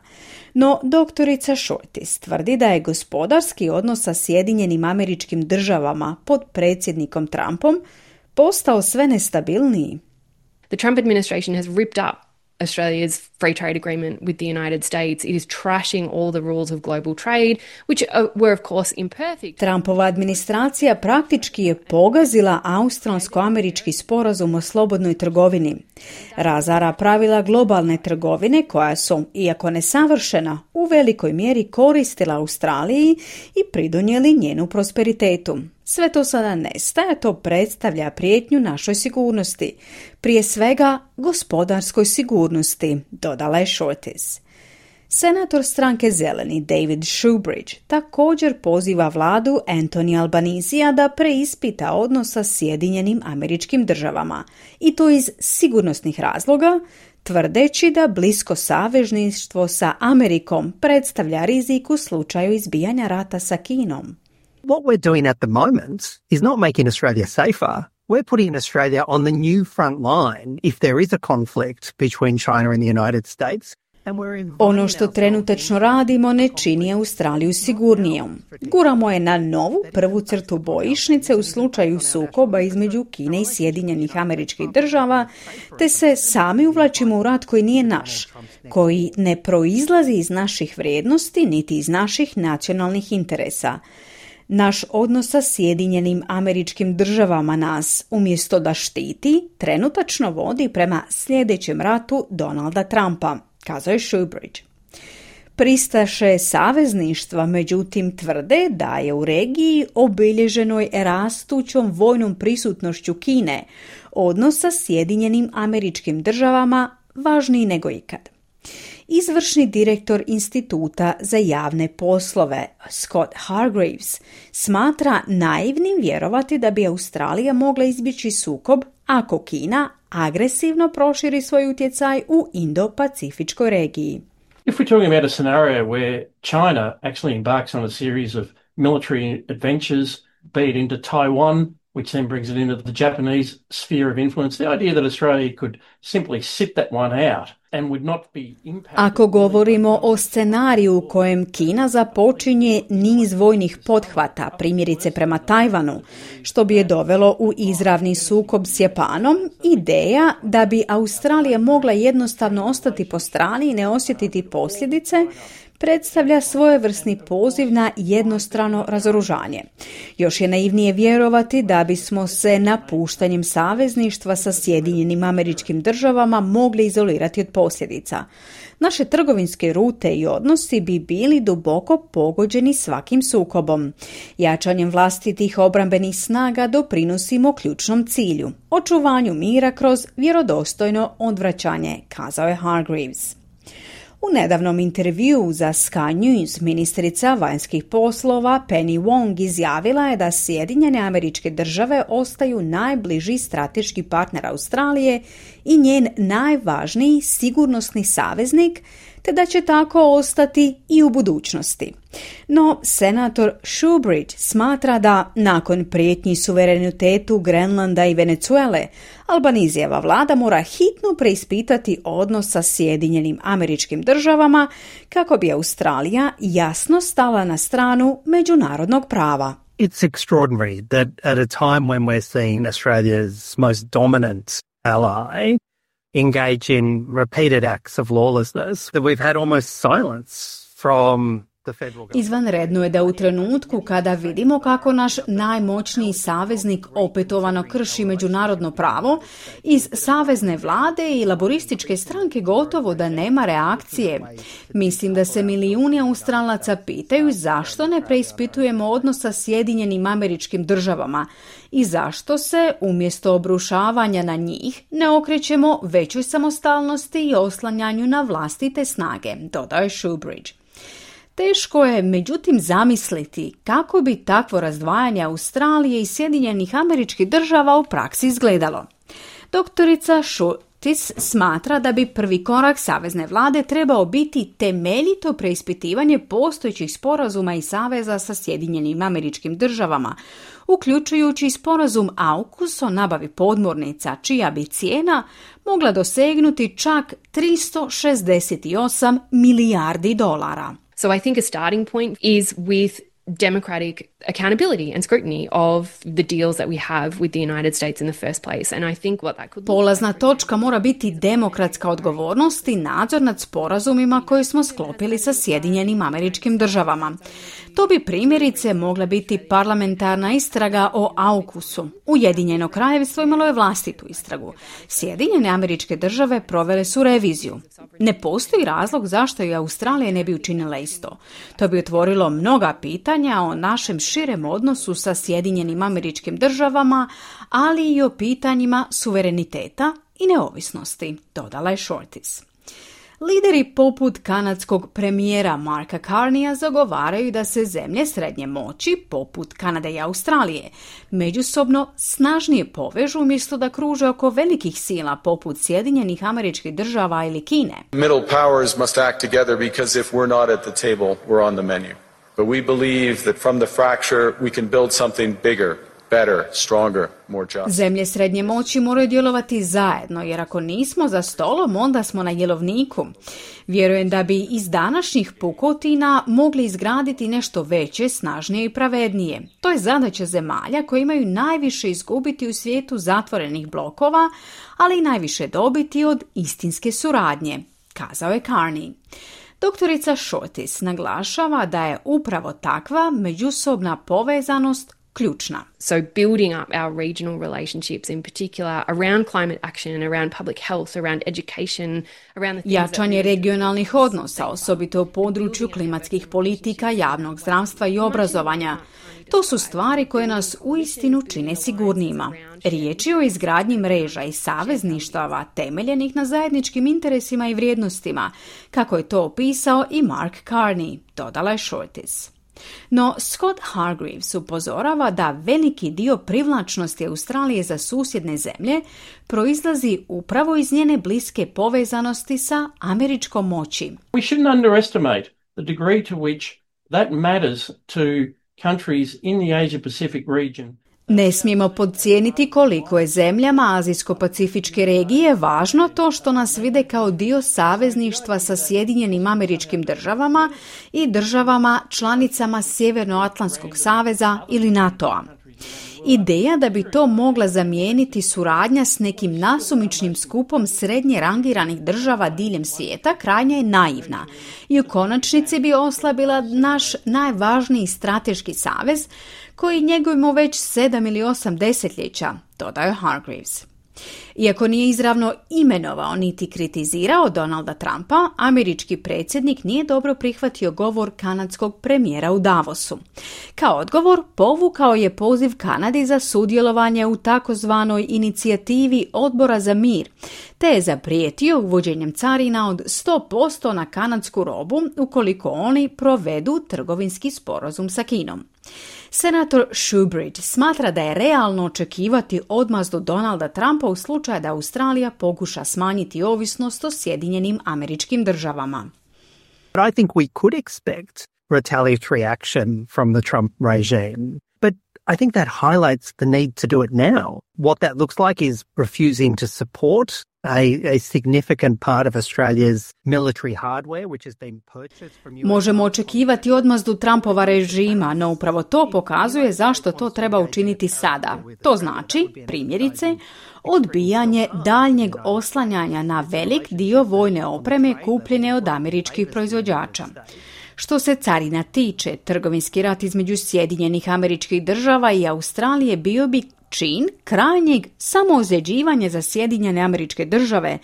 No, doktorica Shortis tvrdi da je gospodarski odnos sa Sjedinjenim Američkim Državama pod predsjednikom Trumpom postao sve nestabilniji. The Trump administration has ripped up Australia's free trade agreement with the United States. It is trashing all the rules of global trade, which were of course imperfect. Trumpova administracija praktički je pogazila australsko-američki sporazum o slobodnoj trgovini. Razara pravila globalne trgovine koja su, iako nesavršena, u velikoj mjeri koristila Australiji i pridonijeli njenu prosperitetu. Sve to sada nestaje, to predstavlja prijetnju našoj sigurnosti, prije svega gospodarskoj sigurnosti, dodala je Shortis. Senator stranke Zeleni David Shoebridge također poziva vladu Anthony Albanisija da preispita odnos sa Sjedinjenim Američkim Državama, i to iz sigurnosnih razloga, tvrdeći da blisko savezništvo sa Amerikom predstavlja rizik u slučaju izbijanja rata sa Kinom. What we're doing at the moment is not making Australia safer. We're putting Australia on the new front line if there is a conflict between China and the United States. Ono što trenutačno radimo ne čini Australiju sigurnijom. Guramo je na novu prvu crtu bojišnice u slučaju sukoba između Kine i Sjedinjenih Američkih Država, te se sami uvlačimo u rat koji nije naš, koji ne proizlazi iz naših vrijednosti niti iz naših nacionalnih interesa. Naš odnos sa Sjedinjenim Američkim Državama nas, umjesto da štiti, trenutačno vodi prema sljedećem ratu Donalda Trumpa, kazao je Shoebridge. Pristaše savezništva međutim tvrde da je u regiji obilježenoj rastućom vojnom prisutnošću Kine odnos sa Sjedinjenim Američkim Državama važniji nego ikad. Izvršni direktor Instituta za javne poslove Scott Hargreaves smatra naivnim vjerovati da bi Australija mogla izbjeći sukob ako Kina agresivno proširi svoj utjecaj u Indo-Pacifičkoj regiji. If we're talking about a scenario where China actually embarks on a series of military adventures, be it into Taiwan, which then brings it into the Japanese sphere of influence, the idea that Australia could simply sit that one out and would not be impacted. Ako govorimo o scenariju u kojem Kina započinje niz vojnih pothvata, primjerice prema Tajvanu, što bi je dovelo u izravni sukob s Japanom, ideja da bi Australija mogla jednostavno ostati po strani i ne osjetiti posljedice, predstavlja svojevrsni poziv na jednostrano razoružanje. Još je naivnije vjerovati da bismo se napuštanjem savezništva sa Sjedinjenim Američkim Državama mogli izolirati od posljedica. Naše trgovinske rute i odnosi bi bili duboko pogođeni svakim sukobom. Jačanjem vlastitih obrambenih snaga doprinosimo ključnom cilju, očuvanju mira kroz vjerodostojno odvraćanje, kazao je Hargreaves. U nedavnom intervjuu za Sky News ministrica vanjskih poslova Penny Wong izjavila je da Sjedinjene Američke Države ostaju najbliži strateški partner Australije i njen najvažniji sigurnosni saveznik, te da će tako ostati i u budućnosti. No, senator Shoebridge smatra da nakon prijetnji suverenitetu Grenlanda i Venezuele, Albanizijeva vlada mora hitno preispitati odnos sa Sjedinjenim Američkim Državama kako bi Australija jasno stala na stranu međunarodnog prava. It's extraordinary that at a time when we're seeing Australia's most dominant ally engage in repeated acts of lawlessness, that we've had almost silence from the federal government. Izvanredno je da u trenutku kada vidimo kako naš najmoćniji saveznik opetovano krši međunarodno pravo, iz savezne vlade i laborističke stranke gotovo da nema reakcije. Mislim da se milijuni Australaca pitaju zašto ne preispitujemo odnos sa Sjedinjenim Američkim Državama i zašto se, umjesto obrušavanja na njih, ne okrećemo većoj samostalnosti i oslanjanju na vlastite snage, dodaje Shoebridge. Teško je, međutim, zamisliti kako bi takvo razdvajanje Australije i Sjedinjenih Američkih Država u praksi izgledalo. Doktorica Šutis smatra da bi prvi korak savezne vlade trebao biti temeljito preispitivanje postojećih sporazuma i saveza sa Sjedinjenim Američkim Državama, uključujući sporazum AUKUS o nabavi podmornica, čija bi cijena mogla dosegnuti čak tristo šezdeset osam milijardi dolara. So I think a starting point is with democratic accountability and scrutiny of the deals that we have with the United States in the first place. And I think what that could Polazna točka mora biti demokratska odgovornost i nadzor nad sporazumima koje smo sklopili sa Sjedinjenim Američkim Državama. To bi primjerice mogla biti parlamentarna istraga o AUKUS-u. Ujedinjeno kraljevstvo imalo je vlastitu istragu. Sjedinjene Američke Države provele su reviziju. Ne postoji razlog zašto i Australija ne bi učinila isto. To bi otvorilo mnoga pitanja o našem širem odnosu sa Sjedinjenim Američkim Državama, ali i o pitanjima suvereniteta i neovisnosti, dodala je Shortis. Lideri poput kanadskog premijera Marka Carneya zagovaraju da se zemlje srednje moći, poput Kanade i Australije, međusobno snažnije povežu umjesto da kruže oko velikih sila poput Sjedinjenih Američkih Država ili Kine. Middle powers must act together because if we're not at the table, we're on the menu. But we believe that from the fracture we can build something bigger, better, stronger, more just. Zemlje srednje moći moraju djelovati zajedno, jer ako nismo za stolom, onda smo na jelovniku. Vjerujem da bi iz današnjih pukotina mogli izgraditi nešto veće, snažnije i pravednije. To je zadaća zemalja koje imaju najviše izgubiti u svijetu zatvorenih blokova, ali i najviše dobiti od istinske suradnje, kazao je Carney. Doktorica Shortis naglašava da je upravo takva međusobna povezanost ključna. So building up our regional relationships in particular around climate action, around public health, around education, around the Jačanje regionalnih odnosa, osobito u području klimatskih politika, javnog zdravstva i obrazovanja. To su stvari koje nas uistinu čine sigurnijima. Riječ je o izgradnji mreža i savezništava temeljenih na zajedničkim interesima i vrijednostima, kako je to opisao i Mark Carney, dodala je Shortis. No Scott Hargreaves upozorava da veliki dio privlačnosti Australije za susjedne zemlje proizlazi upravo iz njene bliske povezanosti sa američkom moći. We shouldn't underestimate the degree to which that matters to countries in the Asia-Pacific region. Ne smijemo podcijeniti koliko je zemljama Azijsko-Pacifičke regije važno to što nas vide kao dio savezništva sa Sjedinjenim Američkim Državama i državama članicama Sjevernoatlantskog saveza ili NATO-a. Ideja da bi to mogla zamijeniti suradnja s nekim nasumičnim skupom srednje rangiranih država diljem svijeta krajnje je naivna i u konačnici bi oslabila naš najvažniji strateški savez koji njegujemo već sedam ili osam desetljeća, dodao Hargreaves. Iako nije izravno imenovao niti kritizirao Donalda Trumpa, američki predsjednik nije dobro prihvatio govor kanadskog premijera u Davosu. Kao odgovor povukao je poziv Kanadi za sudjelovanje u takozvanoj inicijativi Odbora za mir, te je zaprijetio uvođenjem carina od sto posto na kanadsku robu ukoliko oni provedu trgovinski sporazum sa Kinom. Senator Shoebridge smatra da je realno očekivati odmazdu Donalda Trumpa u slučaju da Australija pokuša smanjiti ovisnost o Sjedinjenim Američkim Državama. But I think we could expect retaliatory action from the Trump regime. But I think that highlights the need to do it now. What that looks like is refusing to support A, a significant part of Australia's military hardware, which has been purchased from U S. Možemo očekivati odmazdu Trumpova režima, no upravo to pokazuje zašto to treba učiniti sada. To znači, primjerice, odbijanje daljnjeg oslanjanja na velik dio vojne opreme kupljene od američkih proizvođača. Što se carina tiče, trgovinski rat između Sjedinjenih Američkih Država i Australije bio bi čin krajnjeg samoozljeđivanja za Sjedinjene Američke Države,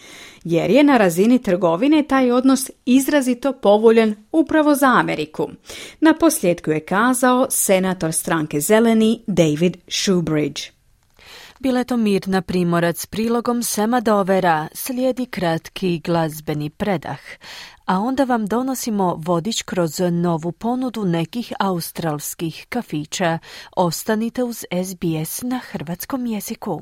jer je na razini trgovine taj odnos izrazito povoljan upravo za Ameriku. Na posljedku je kazao senator stranke Zeleni David Shoebridge. Bila je to Mirna Primorac s prilogom Sema Dovera, slijedi kratki glazbeni predah, a onda vam donosimo vodič kroz novu ponudu nekih australskih kafića. Ostanite uz S B S na hrvatskom jeziku.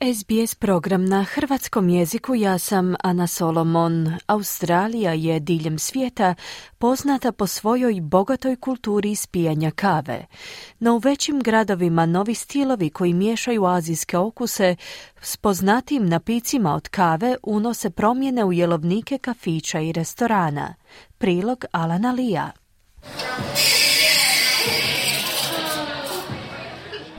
S B S program na hrvatskom jeziku, ja sam Ana Solomon. Australija je diljem svijeta poznata po svojoj bogatoj kulturi ispijanja kave. No u većim gradovima novi stilovi koji miješaju azijske okuse s poznatijim napicima od kave unose promjene u jelovnike kafića i restorana. Prilog Alana Lija.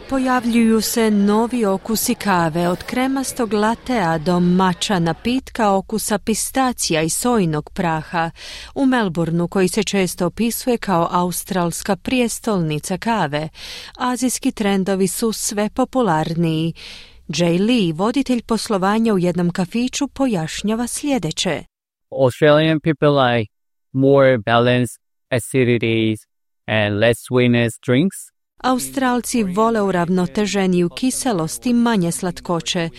Pojavljuju se novi okusi kave, od kremastog latea do mača napitka okusa pistacija i sojinog praha. U Melbourneu, koji se često opisuje kao australska prijestolnica kave, azijski trendovi su sve popularniji. Jay Lee, voditelj poslovanja u jednom kafiću, pojašnjava sljedeće. Australian people like more balanced acidities and less sweetness drinks. Australci vole uravnoteženiju kiselost i manje slatkoće.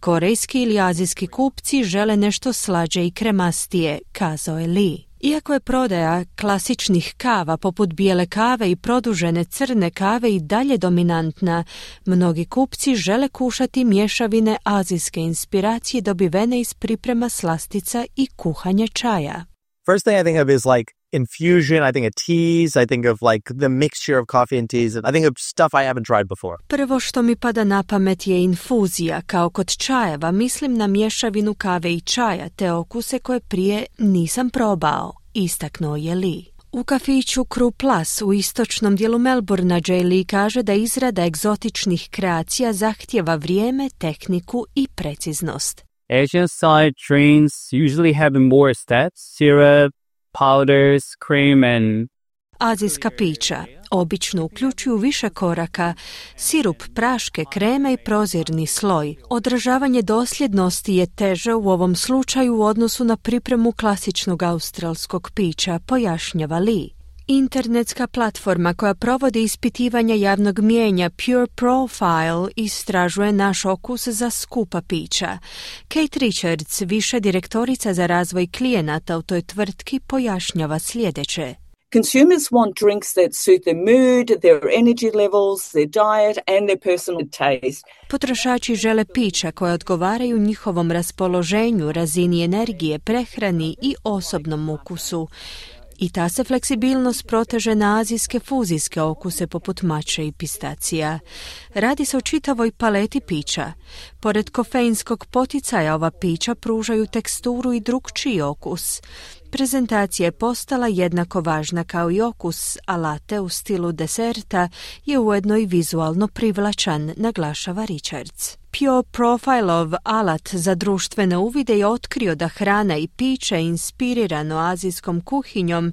Korejski ili azijski kupci žele nešto slađe i kremastije, kazao je Lee. Iako je prodaja klasičnih kava poput bijele kave i produžene crne kave i dalje dominantna, mnogi kupci žele kušati mješavine azijske inspiracije dobivene iz priprema slastica i kuhanja čaja. First thing I think of is like infusion, I think of teas, I think of like the mixture of coffee and teas, I think of stuff I haven't tried before. Prvo što mi pada na pamet je infuzija, kao kod čajeva, mislim na mješavinu kave i čaja, te okuse koje prije nisam probao, istaknuo je Lee. U kafiću Crew Plus u istočnom dijelu Melbournea Jay Lee kaže da izrada egzotičnih kreacija zahtjeva vrijeme, tehniku i preciznost. Asian style drinks usually have more steps, syrup, powders, cream and... Azijska pića obično uključuju više koraka, sirup, praške, kreme i prozirni sloj. Održavanje dosljednosti je teže u ovom slučaju u odnosu na pripremu klasičnog australskog pića, pojašnjava Lee. Internetska platforma koja provodi ispitivanja javnog mijenja Pure Profile istražuje naš okus za skupa pića. Kate Richards, viša direktorica za razvoj klijenata u toj tvrtki, pojašnjava sljedeće. Consumers want drinks that suit their mood, their energy levels, their diet and their personal taste. Potrošači žele pića koje odgovaraju njihovom raspoloženju, razini energije, prehrani i osobnom ukusu. I ta se fleksibilnost proteže na azijske fuzijske okuse poput mače i pistacija. Radi se o čitavoj paleti pića. Pored kofeinskog poticaja, ova pića pružaju teksturu i drukčiji okus. Prezentacija je postala jednako važna kao i okus, a latte u stilu deserta je ujedno i vizualno privlačan, naglašava Richards. Pure Profilov alat za društvene uvide je otkrio da hrana i piće inspirirano azijskom kuhinjom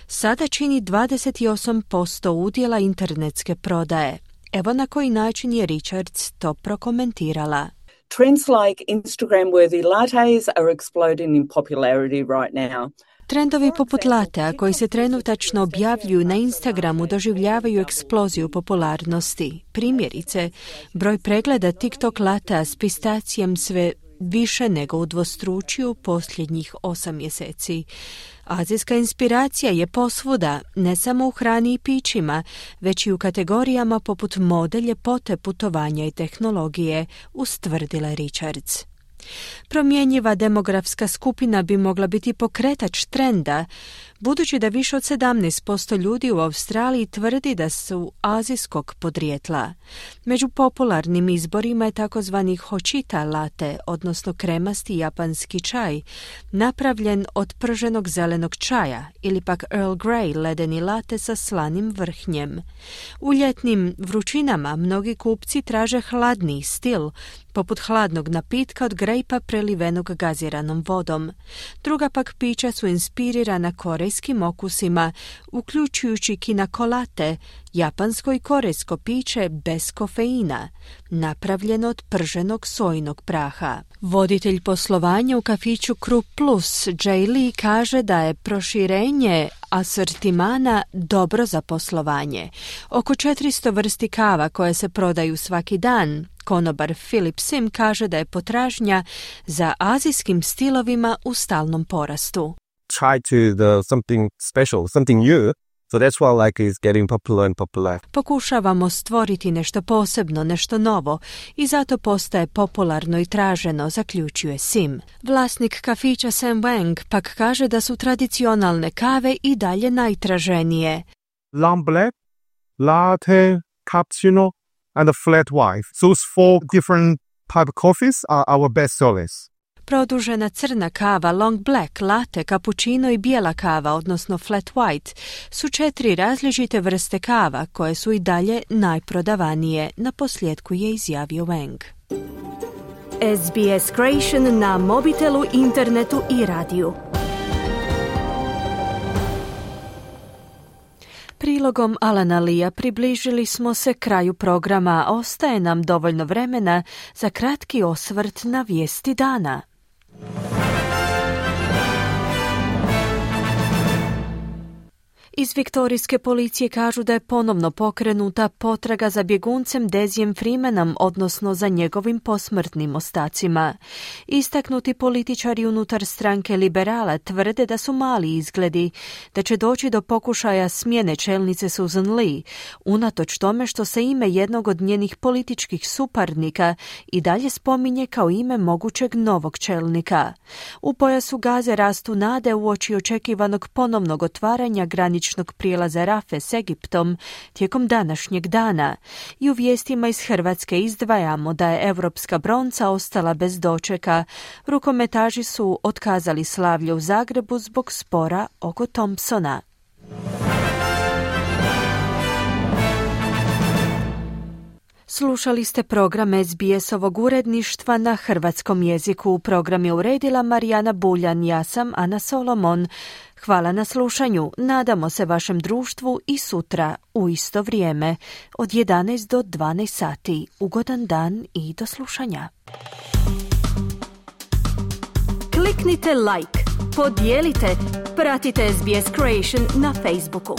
sada čini dvadeset osam posto udjela internetske prodaje. Evo na koji način je Richards to prokomentirala. Trends like Instagram-worthy lattes are exploding in popularity right now. Trendovi poput latea koji se trenutačno objavljuju na Instagramu doživljavaju eksploziju popularnosti. Primjerice, broj pregleda TikTok latea s pistacijem sve više nego udvostručio posljednjih osam mjeseci. Azijska inspiracija je posvuda, ne samo u hrani i pićima, već i u kategorijama poput mode, ljepote, putovanja i tehnologije, ustvrdila Richards. Promjenjiva demografska skupina bi mogla biti pokretač trenda, budući da više od sedamnaest posto ljudi u Australiji tvrdi da su azijskog podrijetla. Među popularnim izborima je takozvani hochita latte, odnosno kremasti japanski čaj, napravljen od prženog zelenog čaja, ili pak Earl Grey ledeni latte sa slanim vrhnjem. U ljetnim vrućinama mnogi kupci traže hladniji stil, poput hladnog napitka od grejpa prelivenog gaziranom vodom. Druga pak pića su inspirirana korejskim okusima, uključujući kinakolate, japansko i korejsko piće bez kofeina, napravljeno od prženog sojinog praha. Voditelj poslovanja u kafiću Krupp Plus, Jay Lee, kaže da je proširenje asortimana dobro za poslovanje. Oko četiristo vrsti kava koje se prodaju svaki dan. Konobar Philip Sim kaže da je potražnja za azijskim stilovima u stalnom porastu. Try to the something special, something new. So that's why like is getting popular and popular. Pokušavamo stvoriti nešto posebno, nešto novo i zato postaje popularno i traženo, zaključuje Sim. Vlasnik kafića Sam Wang pak kaže da su tradicionalne kave i dalje najtraženije. Long black, latte, cappuccino and a flat white. Those four different type of coffees are our best sellers. Produžena crna kava, long black, latte, cappuccino i bijela kava, odnosno flat white, su četiri različite vrste kava koje su i dalje najprodavanije, na posljedku je izjavio Wang. S B S Creation na mobitelu, internetu i radiju. Prilogom Alana Leea približili smo se kraju programa. Ostaje nam dovoljno vremena za kratki osvrt na vijesti dana. Iz viktorijske policije kažu da je ponovno pokrenuta potraga za bjeguncem Dezijem Freemanom, odnosno za njegovim posmrtnim ostacima. Istaknuti političari unutar stranke Liberala tvrde da su mali izgledi, da će doći do pokušaja smjene čelnice Susan Lee, unatoč tome što se ime jednog od njenih političkih suparnika i dalje spominje kao ime mogućeg novog čelnika. U pojasu Gaze rastu nade uoči očekivanog ponovnog otvaranja graničnog prijelaza Rafe s Egiptom tijekom današnjeg dana. I u vijestima iz Hrvatske izdvajamo da je europska bronca ostala bez dočeka. Rukometaši su otkazali slavlje u Zagrebu zbog spora oko Thompsona. Slušali ste program S B S-ovog uredništva na hrvatskom jeziku. Program je uredila Marijana Buljan, ja sam Ana Solomon. Hvala na slušanju. Nadamo se vašem društvu i sutra u isto vrijeme od jedanaest do dvanaest sati. Ugodan dan i do slušanja. Kliknite like, podijelite, pratite S B S Creation na Facebooku.